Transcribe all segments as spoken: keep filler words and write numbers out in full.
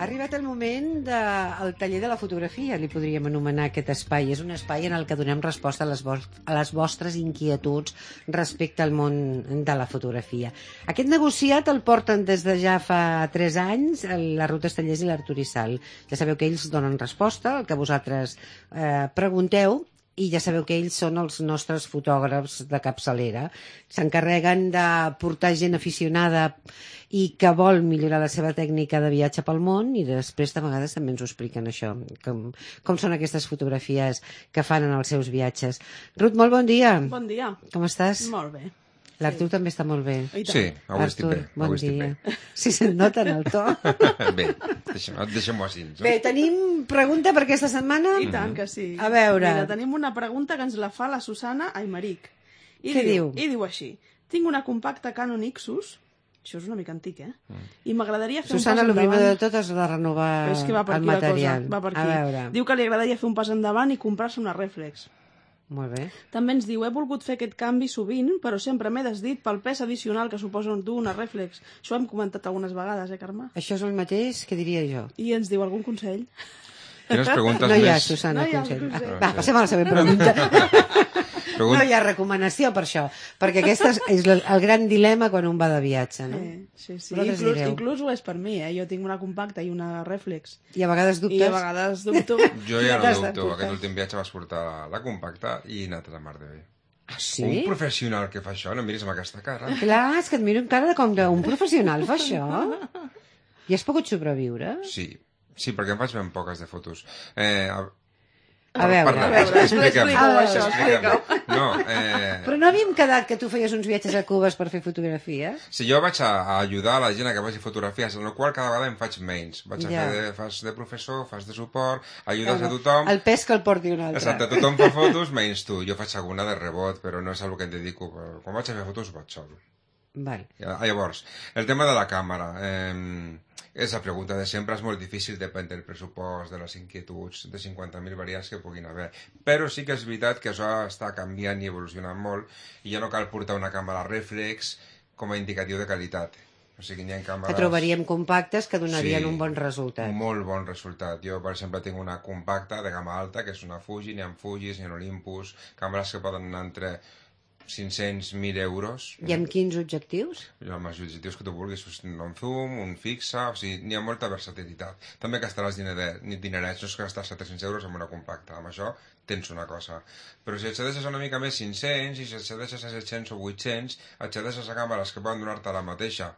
arribat el moment del taller de la fotografia, li podríem anomenar aquest espai. És un espai en el que donem resposta a les, a les vostres inquietuds respecte al món de la fotografia. Aquest negociat el porten des de ja fa tres anys la Ruth Estellés i l'Artur Issal. Ja sabeu que ells donen resposta al que vosaltres eh, pregunteu, i ja sabeu que ells són els nostres fotògrafs de capçalera. S'encarreguen de portar gent aficionada i que vol millorar la seva tècnica de viatge pel món, i després de vegades també ens ho expliquen això, com, com són aquestes fotografies que fan en els seus viatges. Ruth, molt bon dia. Bon dia. Com estàs? Molt bé. L'Artur sí. també està molt bé. Sí, avui estic bé. Bon avui estic dia. bé. Sí, se't nota en el to. Bé, deixem-ho deixem així. No? Bé, tenim pregunta per aquesta setmana? I tant que sí. A veure. Mira, tenim una pregunta que ens la fa la Susana Aymeric. I Què diu? I diu així. Tinc una compacta Canon Ixus, això és una mica antic, eh? Mm. I m'agradaria fer Susana, un pas endavant. el primer de tot és de renovar és que va per el aquí material. La cosa, va per aquí. A veure. Diu que li agradaria fer un pas endavant i comprar-se una reflex. Molt bé. També ens diu, he volgut fer aquest canvi sovint, però sempre m'he desdit pel pes addicional que suposa dur una reflex. Això ho hem comentat algunes vegades, eh, Carme? Això és el mateix que diria jo. I ens diu algun consell? Quines preguntes No hi ha, més... Susana, No hi ha consell. consell. Va, passem a la següent pregunta. Pregun... No hi ha recomanació per això, perquè aquest és és el el gran dilema quan un va de viatge, no? Eh, sí, sí. Vosaltres Inclús, direu. inclús ho és per mi, eh? Jo tinc una compacta i una reflex. I a vegades dubtes. I a vegades dubto. Jo ja no T'has de dubto. dubtar. Aquest últim viatge vas portar la, la compacta i he anat a la mar de bé. Ah, sí? Un professional que fa això, no em miris amb aquesta cara. Clar, és que et miro amb cara de com d'un professional fa això. I has pogut sobreviure? Sí, sí, perquè em faig ben poques de fotos. Eh, a... A veure, Parla, a veure, explica'm, explica-ho, això, explica'm. No, eh... Però no havíem quedat que tu feies uns viatges a Cubes per fer fotografies? Si jo vaig a, a ajudar a la gent a que faci fotografies, en el qual cada vegada em faig menys. Vaig a Ja. fer de, fas de professor, fas de suport, ajudes a tothom... El pes que el porti un altre. Exacte, tothom fa fotos menys tu. Jo faig alguna de rebot, però no és el que em dedico. Quan vaig a fer fotos vaig sol. Vale. Llavors, el tema de la càmera. Eh, és la pregunta de sempre, és molt difícil, depèn del pressupost, de les inquietuds, de cinquanta mil variants que puguin haver. Però sí que és veritat que això està canviant i evolucionant molt i ja no cal portar una càmera reflex com a indicatiu de qualitat. O sigui, hi ha càmeres... Que trobaríem compactes que donarien Sí, un bon resultat. Un molt bon resultat. Jo, per exemple, tinc una compacta de gamma alta, que és una Fuji, n'hi ha Fujis, n'hi ha Olympus, càmeres que poden anar entre cinc-cents mil euros. I amb quins objectius? Amb els objectius que tu vulguis, un zoom, un fixa, o sigui, n'hi ha molta versatilitat. També gastaràs diner, dinerets, no és que gastar set-cents euros en una compacta, amb això tens una cosa. Però si accedeixes una mica més cinc-cents, i si accedeixes a set-cents o vuit-cents, accedeixes a càmeres que poden donar-te la mateixa,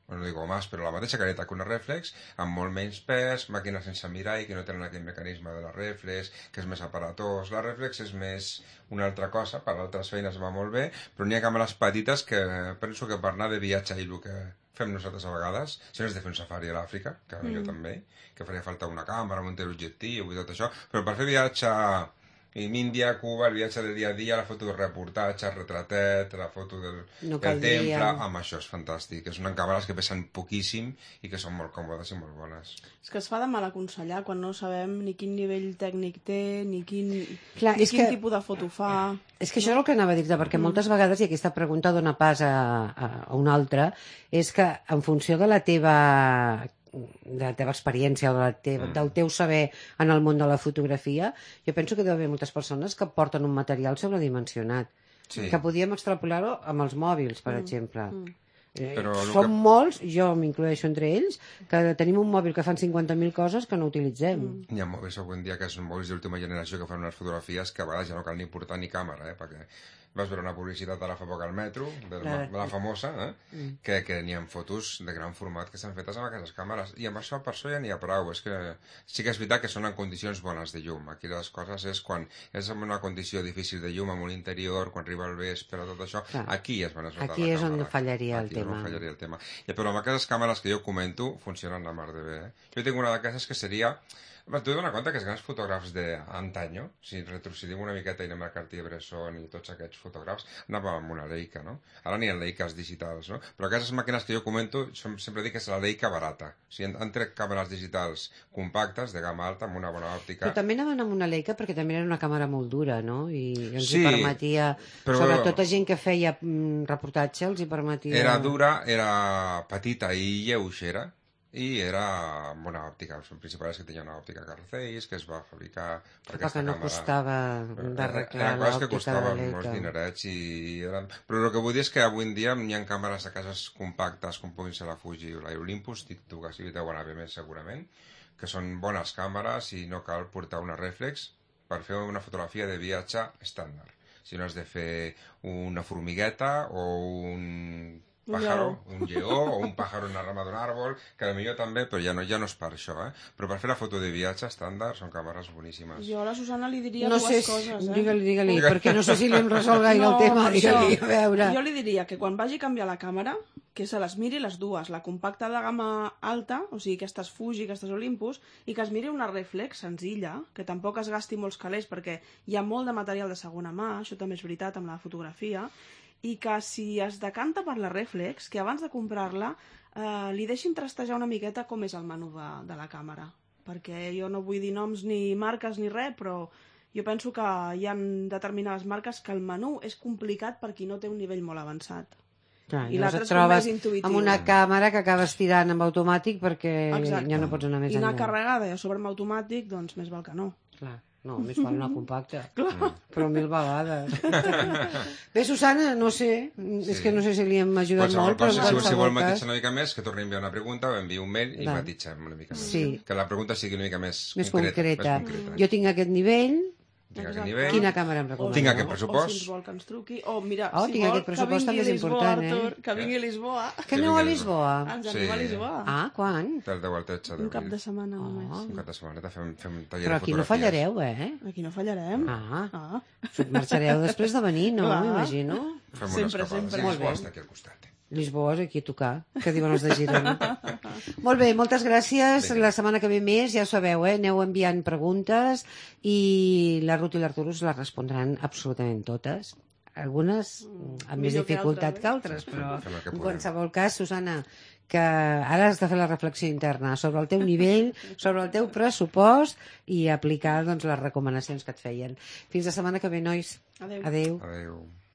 no digo más, però la mateixa caleta que una reflex, amb molt menys pes, màquines sense mirall, que no tenen aquell mecanisme de la reflex, que és més aparatós. La reflex és més una altra cosa, per altres feines va molt bé, però n'hi ha càmeres petites que penso que per anar de viatge i el que fem nosaltres a vegades, si no és de fer un safari a l'Àfrica, que mm. jo també, que faria falta una càmera amb un teleobjectiu i tot això, però per fer viatge en Índia, Cuba, el viatge de dia a dia, la foto del reportatge, el retratet, la foto del, No del caldria. temple, amb això és fantàstic. És una càmeres que pesen poquíssim i que són molt còmodes i molt bones. És que es fa de mal aconsellar quan no sabem ni quin nivell tècnic té, ni quin, Clar, ni és quin que- tipus de foto fa. És que això és el que anava a dir-te, perquè moltes vegades, i aquesta pregunta dona pas a, a, a una altra, és que en funció de la teva de la teva experiència o de la teva, mm. del teu saber en el món de la fotografia, jo penso que deu haver moltes persones que porten un material sobredimensionat, Sí. que podíem extrapolar-ho amb els mòbils, per mm. exemple. Mm. Eh, Però el som que- molts, jo m'incloeixo entre ells, que tenim un mòbil que fan cinquanta mil coses que no utilitzem. Mm. Hi ha mòbils avui en dia que són mòbils d'última generació que fan unes fotografies que a vegades ja no cal ni portar ni càmera, eh? Perquè vas veure una publicitat ara fa poc al metro, de la, de la famosa, eh? Mm. que, que n'hi ha fotos de gran format que estan fetes amb aquestes càmeres. I amb això, per això ja n'hi ha prou. És que sí que és veritat que són en condicions bones de llum. Aquí les coses és quan és en una condició difícil de llum, amb un interior, quan arriba el vespre, tot això, Clar. aquí és on es nota Aquí la és on càmera. fallaria el Aquí és on tema. fallaria el tema. I, però amb aquestes càmeres que jo comento funcionen la mar de bé. Eh? Jo tinc una d'aquestes que seria... T'he donat compte que els grans fotògrafs d'antanyo, si retrocedim una miqueta i anem a Cartier-Bresson i tots aquests fotògrafs, anàvem amb una Leica, no? Ara n'hi ha Leicas digitals, no? Però aquestes màquines que jo comento, sempre dic que és la Leica barata. O sigui, han tret càmeres digitals compactes, de gamma alta, amb una bona òptica. Però també anaven amb una Leica perquè també era una càmera molt dura, no? I ens Sí, hi permetia, però- sobretot a gent que feia mm, reportatge, els hi permetia... Era dura, era petita i lleugera, i era amb una òptica. El principal és que tenia una òptica Carl Zeiss, que es va fabricar per Però aquesta que no càmera. costava d'arreglar Eren coses que l'òptica de costaven Leica. molts dinerets i eren... Però el que vull dir és que avui en dia hi ha càmeres de cases compactes com puguin ser la Fuji o la Olympus, tu que sí deuen haver més segurament, que són bones càmeres i no cal portar una reflex per fer una fotografia de viatge estàndard. Si no has de fer una formigueta o un pájaro, un lleó o un pájaro en la rama d'un àrbol, que potser també, però ja no, ja no és per això, eh? Però per fer la foto de viatge estàndard són càmeres boníssimes. Jo a la Susana li diria No dues sé, coses, eh? digue-li, digue-li, perquè no sé si li hem resolt gaire el tema, digue-li, a veure. Jo li diria que quan vagi a canviar la càmera, que se les miri les dues, la compacta de gamma alta, o sigui, aquestes Fuji, aquestes Olympus, i que es miri una reflex senzilla, que tampoc es gasti molts calés, perquè hi ha molt de material de segona mà, això també és veritat amb la fotografia, i que si es decanta per la reflex, que abans de comprar-la eh, li deixin trastejar una miqueta com és el menú de, de la càmera, perquè jo no vull dir noms ni marques ni res, però jo penso que hi ha determinades marques que el menú és complicat per qui no té un nivell molt avançat. Clar, I llavors l'altre et és com trobes més intuïtiu. amb una càmera que acabes tirant amb automàtic perquè Exacte. ja no pots anar més I anar enllà. carregada i a sobre amb automàtic, doncs més val que no. Clar, no, més val una compacta. Però mil vegades. Bé, Susana, no sé, sí. És que no sé si li hem ajudat Qualsevol molt, però cosa, en si, si qualsevol vol cas... matitxar una mica més, que torni a enviar una pregunta, o enviï un mail i Va. matitxem una mica més. Sí. Que la pregunta sigui una mica més, Més concreta. concreta. Més concreta. Jo tinc aquest nivell, Tinc aquest Exacte. nivell. quina càmera em recomaneu? Tinc aquest O pressupost. si ens vol que ens truqui. O mira, Oh, si tinc vol, aquest pressupost que també és vingui a Lisboa, important, eh? Artur, que vingui a Lisboa. que aneu a Lisboa? Ens Sí. anem a Lisboa. Ah, quan? Del deu al tretze Un cap d'abril. de setmana només. Un cap de setmaneta fem, fem un taller Però de aquí no fotografies. fallareu, eh? Aquí no fallarem. Ah, Ah. marxareu després de venir, no? Clar. M'imagino. Fem unes Sempre, escapades. sempre. I Molt Lisboa bé. està aquí al costat. Lisboa és aquí a tocar, que diuen els de Girona. Molt bé, moltes gràcies. Vinga. La setmana que ve més, ja ho sabeu, eh? Aneu enviant preguntes i la Ruth i l'Arturo us les respondran absolutament totes. Algunes amb més millor que dificultat altres, que altres, però Fem el que en puguem. qualsevol cas, Susana, que ara has de fer la reflexió interna sobre el teu nivell, sobre el teu pressupost i aplicar doncs, les recomanacions que et feien. Fins la setmana que ve, nois. Adéu. Adéu. Adéu.